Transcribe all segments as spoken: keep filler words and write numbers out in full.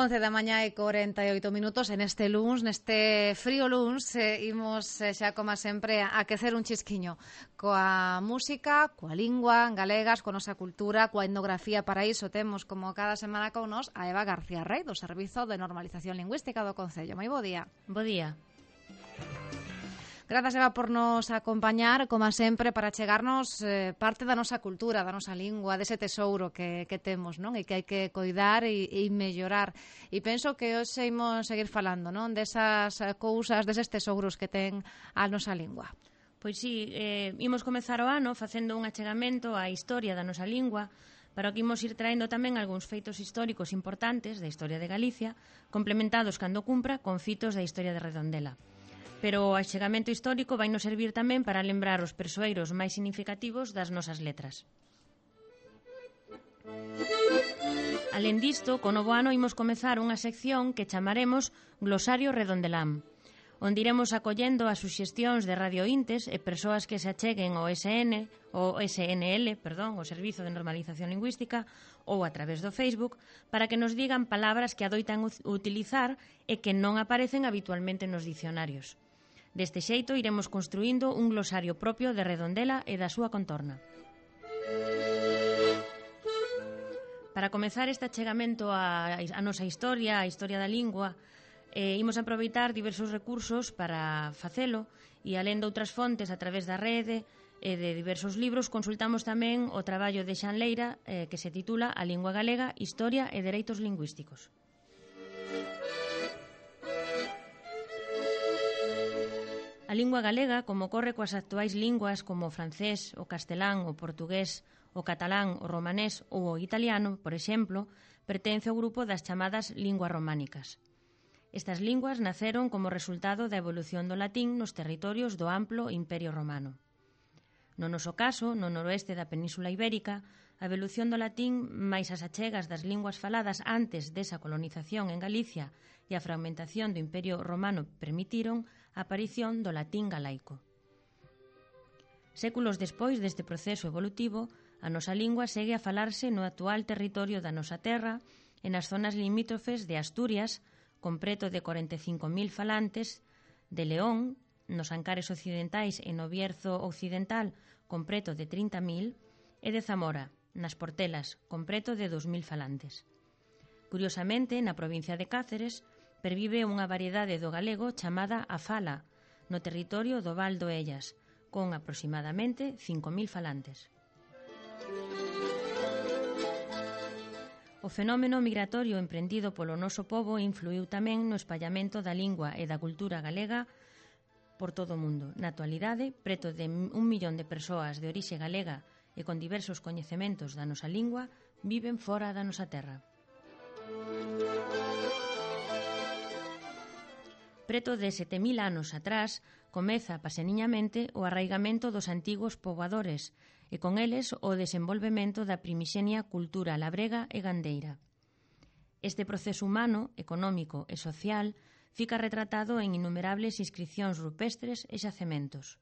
once da mañá e corenta e oito minutos en este luns, neste frío luns, eh, imos eh, xa como sempre a aquecer un chisquiño coa música, coa lingua galegas, coa nosa cultura, coa etnografía. Para iso temos como cada semana con nos a Eva García Rey do Servizo de Normalización Lingüística do Concello. Moi bo día. Bo día. Grazas, Eva, por nos acompañar, como sempre, para chegarnos eh, parte da nosa cultura, da nosa lingua, dese tesouro que, que temos, non? E que hai que coidar e, e mellorar. E penso que hoxe imos seguir falando, non? Desas cousas, deses tesouros que ten a nosa lingua. Pois sí, eh, imos comezar o ano facendo un achegamento á historia da nosa lingua, para o que imos ir traendo tamén algúns feitos históricos importantes da historia de Galicia, complementados cando cumpra con fitos da historia de Redondela. Pero o achegamento histórico vai nos servir tamén para lembrar os persoeiros máis significativos das nosas letras. Alén disto, co novo ano imos comezar unha sección que chamaremos Glosario Redondelán, onde iremos acollendo as suxestións de radiointes e persoas que se acheguen ao S N, o S N L, perdón, o Servizo de Normalización Lingüística, ou a través do Facebook, para que nos digan palabras que adoitan utilizar e que non aparecen habitualmente nos dicionarios. Deste xeito iremos construindo un glosario propio de Redondela e da súa contorna. Para comezar este achegamento á, á nosa historia, á historia da lingua, eh, imos aproveitar diversos recursos para facelo e, alén de outras fontes a través da rede e de diversos libros, consultamos tamén o traballo de Xan Leira eh, que se titula A lingua galega, historia e dereitos lingüísticos. A lingua galega, como ocorre coas actuais linguas como o francés, o castelán, o portugués, o catalán, o romanés ou o italiano, por exemplo, pertence ao grupo das chamadas linguas románicas. Estas linguas naceron como resultado da evolución do latín nos territorios do amplo Imperio Romano. No noso caso, no noroeste da Península Ibérica, a evolución do latín máis as achegas das linguas faladas antes desa colonización en Galicia e a fragmentación do Imperio Romano permitiron a aparición do latín galaico. Séculos despois deste proceso evolutivo, a nosa lingua segue a falarse no actual territorio da nosa terra e nas zonas limítrofes de Asturias, con preto de corenta e cinco mil falantes, de León, nos Ancares occidentais e no Bierzo occidental, con preto de trinta mil, e de Zamora, nas Portelas, con preto de dous mil falantes. Curiosamente, na provincia de Cáceres, pervive unha variedade do galego chamada a fala, no territorio do Val do Ellas, con aproximadamente cinco mil falantes. O fenómeno migratorio emprendido polo noso pobo influiu tamén no espallamento da lingua e da cultura galega por todo o mundo. Na actualidade, preto de un millón de persoas de orixe galega e con diversos coñecementos da nosa lingua viven fora da nosa terra. Preto de sete mil anos atrás, comeza paseniñamente o arraigamento dos antigos poboadores e con eles o desenvolvemento da primixenia cultura labrega e gandeira. Este proceso humano, económico e social fica retratado en innumerables inscripcións rupestres e xacementos.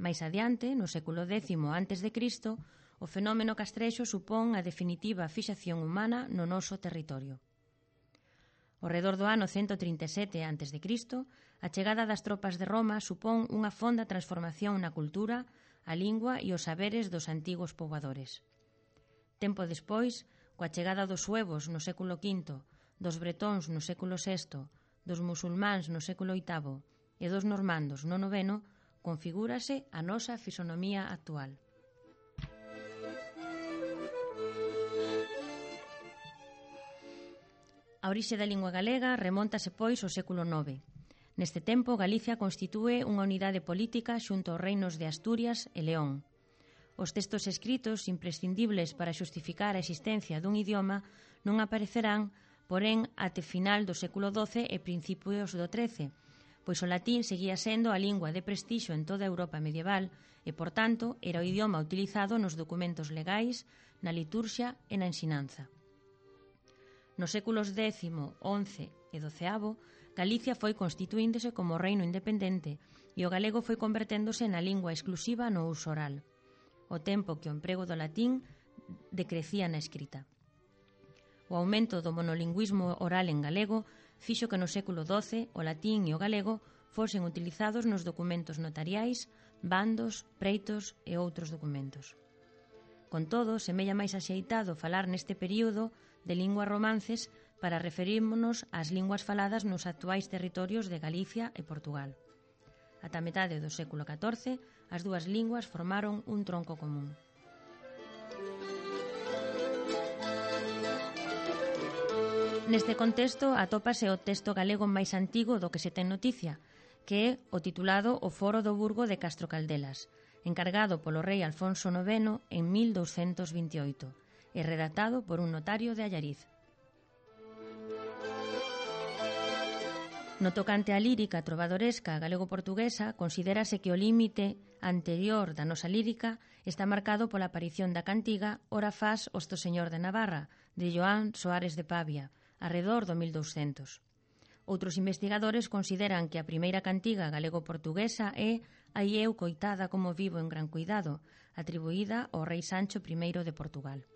Mais adiante, no século décimo antes de Cristo, o fenómeno castrexo supón a definitiva fixación humana no noso territorio. Ao redor do ano cento trinta e sete antes de Cristo, a chegada das tropas de Roma supón unha fonda transformación na cultura, a lingua e os saberes dos antigos poboadores. Tempo despois, coa chegada dos suevos no século quinto, dos bretóns no século sexto, dos musulmáns no século oitavo e dos normandos no noveno, configúrase a nosa fisonomía actual. A orixe da lingua galega remóntase pois ao século nove. Neste tempo, Galicia constitúe unha unidade política xunto aos reinos de Asturias e León. Os textos escritos imprescindibles para xustificar a existencia dun idioma non aparecerán, porén, até final do século doce e principios do trece, pois o latín seguía sendo a lingua de prestixio en toda a Europa medieval e, por tanto, era o idioma utilizado nos documentos legais, na liturxia e na ensinanza. Nos séculos décimo, once e doceavo, Galicia foi constituíndose como reino independente e o galego foi converténdose na lingua exclusiva no uso oral, ao tempo que o emprego do latín decrecía na escrita. O aumento do monolingüismo oral en galego fixo que no século doce o latín e o galego fosen utilizados nos documentos notariais, bandos, preitos e outros documentos. Con todo, semella máis axeitado falar neste período de linguas romances para referírmonos ás linguas faladas nos actuais territorios de Galicia e Portugal. Ata a metade do século catorce, as dúas linguas formaron un tronco común. Neste contexto atópase o texto galego máis antigo do que se ten noticia, que é o titulado O Foro do Burgo de Castro Caldelas, encargado polo rei Alfonso noveno en mil douscentos vinte e oito, e redactado por un notario de Allariz. No tocante á lírica trovadoresca galego-portuguesa, considérase que o límite anterior da nosa lírica está marcado pola aparición da cantiga Ora fas Osto Señor de Navarra, de Joan Soares de Pavia, arredor do mil douscentos. Outros investigadores consideran que a primeira cantiga galego-portuguesa é Ai eu coitada como vivo en gran cuidado, atribuída ao rei Sancho primeiro de Portugal.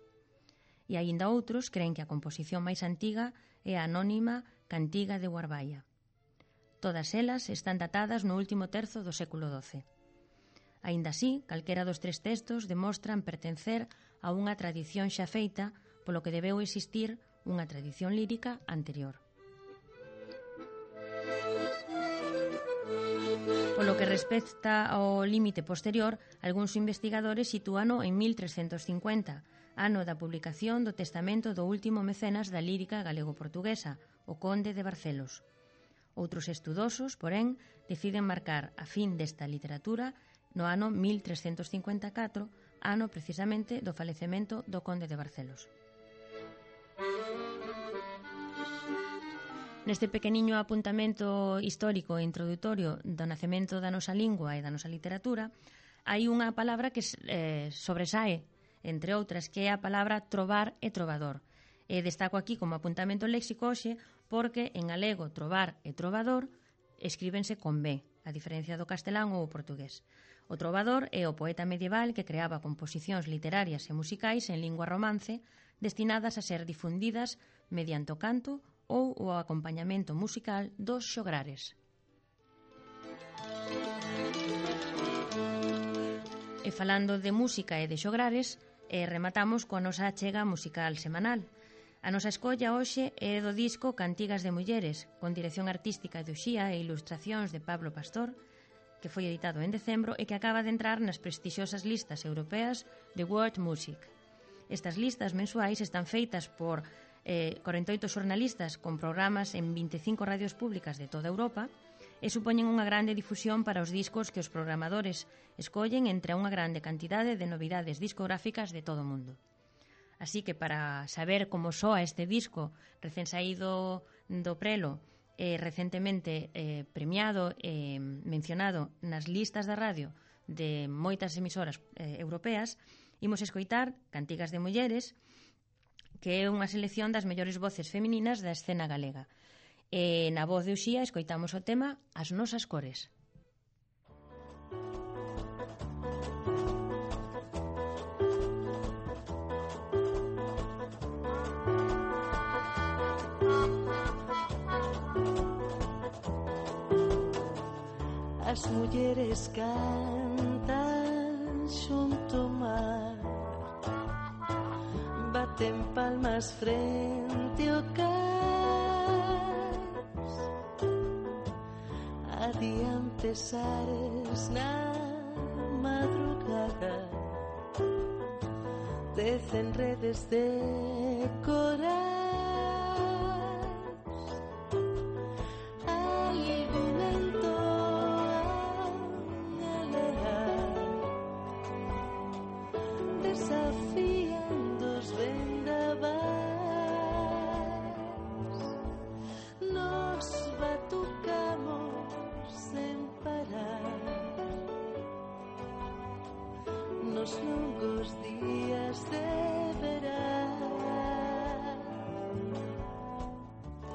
E aínda outros creen que a composición máis antiga é a anónima Cantiga de Guarbaia. Todas elas están datadas no último terzo do século doce. Aínda así, calquera dos tres textos demostran pertencer a unha tradición xa feita, polo que debeu existir unha tradición lírica anterior. Polo que respecta ao límite posterior, algúns investigadores sitúano en mil trescentos cincuenta, ano da publicación do testamento do último mecenas da lírica galego-portuguesa, o conde de Barcelos. Outros estudosos, porén, deciden marcar a fin desta literatura no ano mil trescentos cincuenta e catro, ano precisamente do falecemento do conde de Barcelos. Neste pequeniño apuntamento histórico e introdutorio do nacemento da nosa lingua e da nosa literatura, hai unha palabra que eh, sobresae, entre outras, que é a palabra trovar e trovador. E destaco aquí como apuntamento léxico hoxe porque en galego trovar e trovador escríbense con B, a diferencia do castelán ou o portugués. O trovador é o poeta medieval que creaba composicións literarias e musicais en lingua romance destinadas a ser difundidas mediante o canto ou o acompañamento musical dos xograres. E falando de música e de xograres, eh, rematamos coa nosa achega musical semanal. A nosa escolla hoxe é do disco Cantigas de Mulleres, con dirección artística de Uxía e ilustracións de Pablo Pastor, que foi editado en decembro e que acaba de entrar nas prestixiosas listas europeas de World Music. Estas listas mensuais están feitas por eh, corenta e oito xornalistas con programas en vinte e cinco radios públicas de toda Europa e supoñen unha grande difusión para os discos que os programadores escollen entre unha grande cantidade de novidades discográficas de todo o mundo. Así que para saber como soa este disco recén saído do prelo e recentemente eh, premiado e eh, mencionado nas listas da radio de moitas emisoras eh, europeas, imos escoitar Cantigas de Mulleres, que é unha selección das mellores voces femininas da escena galega. E na voz de Uxía escoitamos o tema As nosas cores. As mulleres cantan xunto ao mar, baten palmas frente ao cais, adiante sares na madrugada, tecen redes de corais. Nos longos días de verán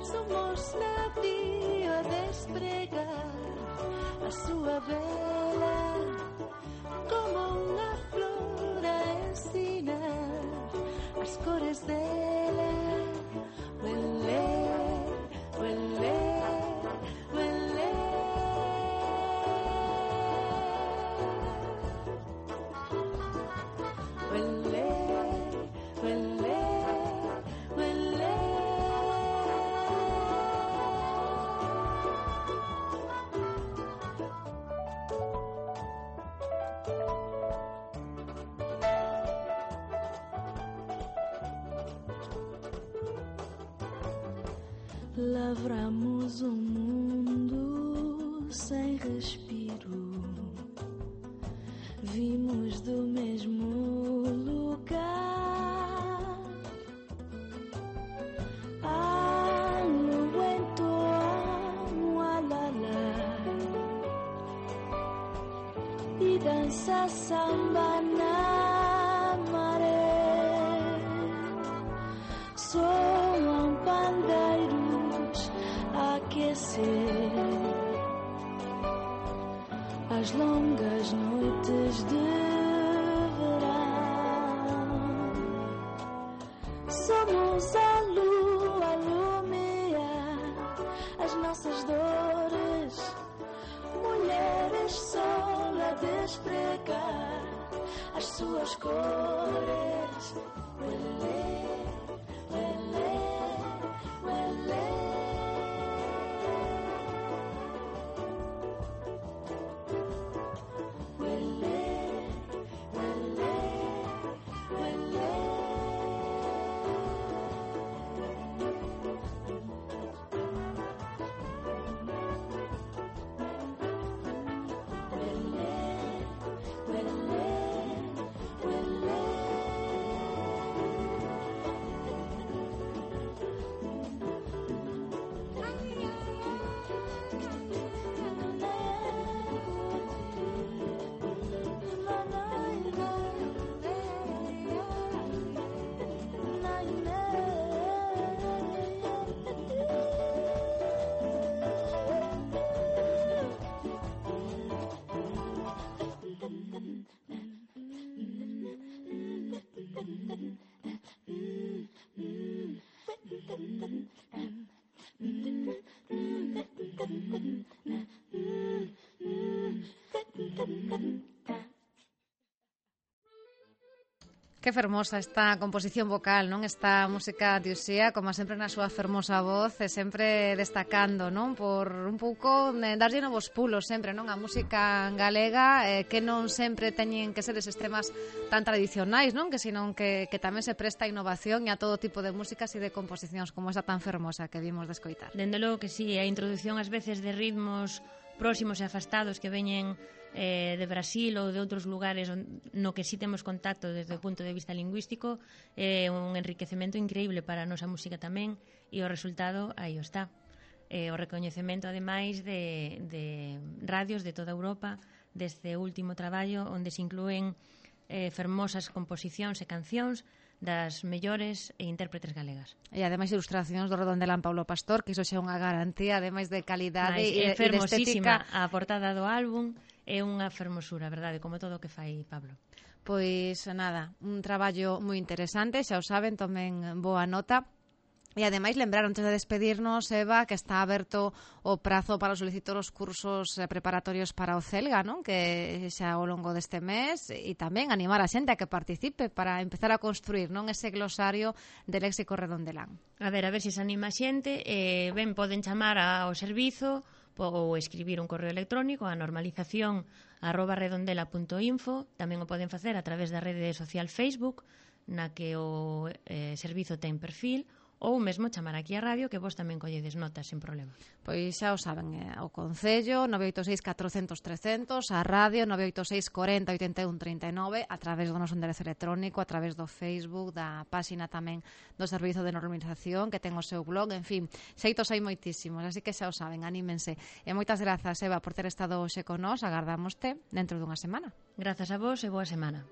somos navío a despregar a súa vela como unha flor a ensinar as cores dela Huele, huele, huele. Lavramos um mundo sem respiro. Vimos do mesmo lugar. Ano en tu alala e dança samba na maré. Soam pandeiros a aquecer as longas noites de verão. Somos a lua, lumia as nossas dores. Mulheres sol a despregar as suas cores. Uelê, uelê, uelê. Que fermosa esta composición vocal, non? Esta música de Uxía, como sempre na súa fermosa voz, e sempre destacando, non? Por un pouco eh, darlle novos pulos sempre, non? A música galega, eh, que non sempre teñen que ser eses temas tan tradicionais, non? Que senón que, que tamén se presta a innovación e a todo tipo de músicas e de composicións como esa tan fermosa que vimos de escoitar. Dende logo que sí, a introducción ás veces de ritmos próximos e afastados que veñen eh, de Brasil ou de outros lugares no que sí temos contacto desde o punto de vista lingüístico, é eh, un enriquecemento increíble para a nosa música tamén, e o resultado aí o está. Eh, o recoñecemento ademais de, de radios de toda Europa deste último traballo onde se inclúen eh, fermosas composicións e cancións das mellores e intérpretes galegas. E ademais ilustracións do Redondelán Paulo Pastor, que iso xa é unha garantía, ademais de calidade e, e de estética. A portada do álbum é unha fermosura, verdade, como todo o que fai Pablo. Pois nada, un traballo moi interesante, xa o saben, tomen boa nota. E ademais lembrar antes de despedirnos, Eva, que está aberto o prazo para solicitar os cursos preparatorios para o Celga, non? Que xa ao longo deste mes, e tamén animar a xente a que participe para empezar a construir, non, ese glosario de léxico Redondelán. A ver, a ver se se anima a xente, eh, ben, poden chamar ao servizo ou escribir un correo electrónico a normalización arroba redondela punto info. Tamén o poden facer a través da rede social Facebook, na que o eh, servizo ten perfil, ou mesmo chamar aquí a radio, que vos tamén colledes notas sin problema. Pois xa o saben, eh, o Concello nove oito seis catrocentos trescentos, a radio nove oito seis corenta oitenta e un trinta e nove, a través do noso enderezo electrónico, a través do Facebook, da páxina tamén do Servizo de Normalización, que ten o seu blog, en fin, xeitos hai moitísimos, así que xa o saben, anímense. E moitas grazas, Eva, por ter estado hoxe con nós, agardámoste dentro dunha semana. Grazas a vos e boa semana.